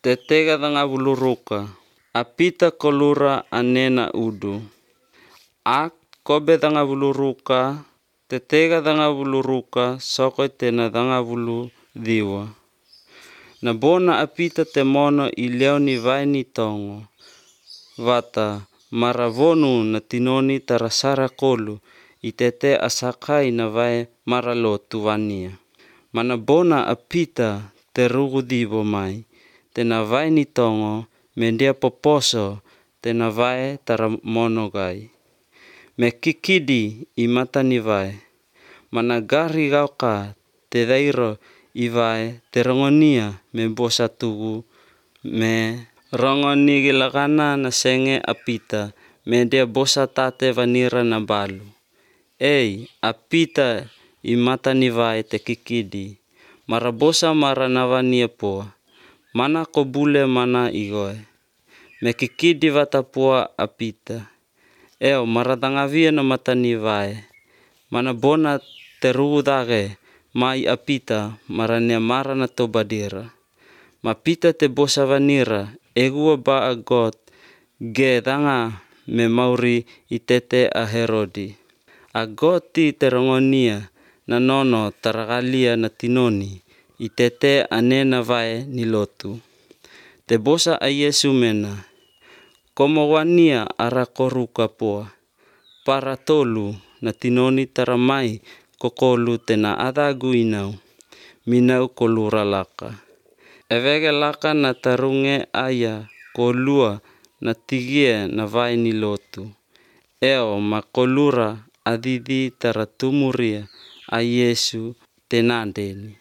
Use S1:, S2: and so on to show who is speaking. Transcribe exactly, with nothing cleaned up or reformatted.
S1: tetega danga buluruka, apita kolura anena udu. Ak kobe danga buluruka, tetega danga buluruka, soko tena danga bulu diwa. Na bona apita temono ileo ni vai ni tongo. Vata maravonu na tinoni tarasara kolu, itete asakai na vai maralotu wania. Mana bona apita terugu dibo mai, tena vai ni tongo, mendia poposo, tena vai taramonogai. Me kikidi imata ni vai, mana gari gauka te dairo i vai terongonia me bosa tugu, me rongoni gilagana na senge apita, mendia bosa tate vanira na balu. Ei, apita imata ni vai te kikidi, marabosa mara navania poa, mana kobule mana igoe. Me kikidi vatapua apita. Eo maratangavia na mata ni vai, mana bona terugu dage, mai apita marania mara na tobadira. Mapita te bosa vanira, egua ba agot, ge danga me mauri itete a Herodi. Agoti terongonia na nono taragalia na tinoni, itete anena vai nilotu. Te bosa a Yesu mena, komo wania ara koruka poa, para tolu na tinoni taramai kokolu tena adagu inau, minau kolura laka. Evege laka na tarunge aya kolua na tigie na vai nilotu. Eo makolura adidi taratumuria a Yesu tenandeni.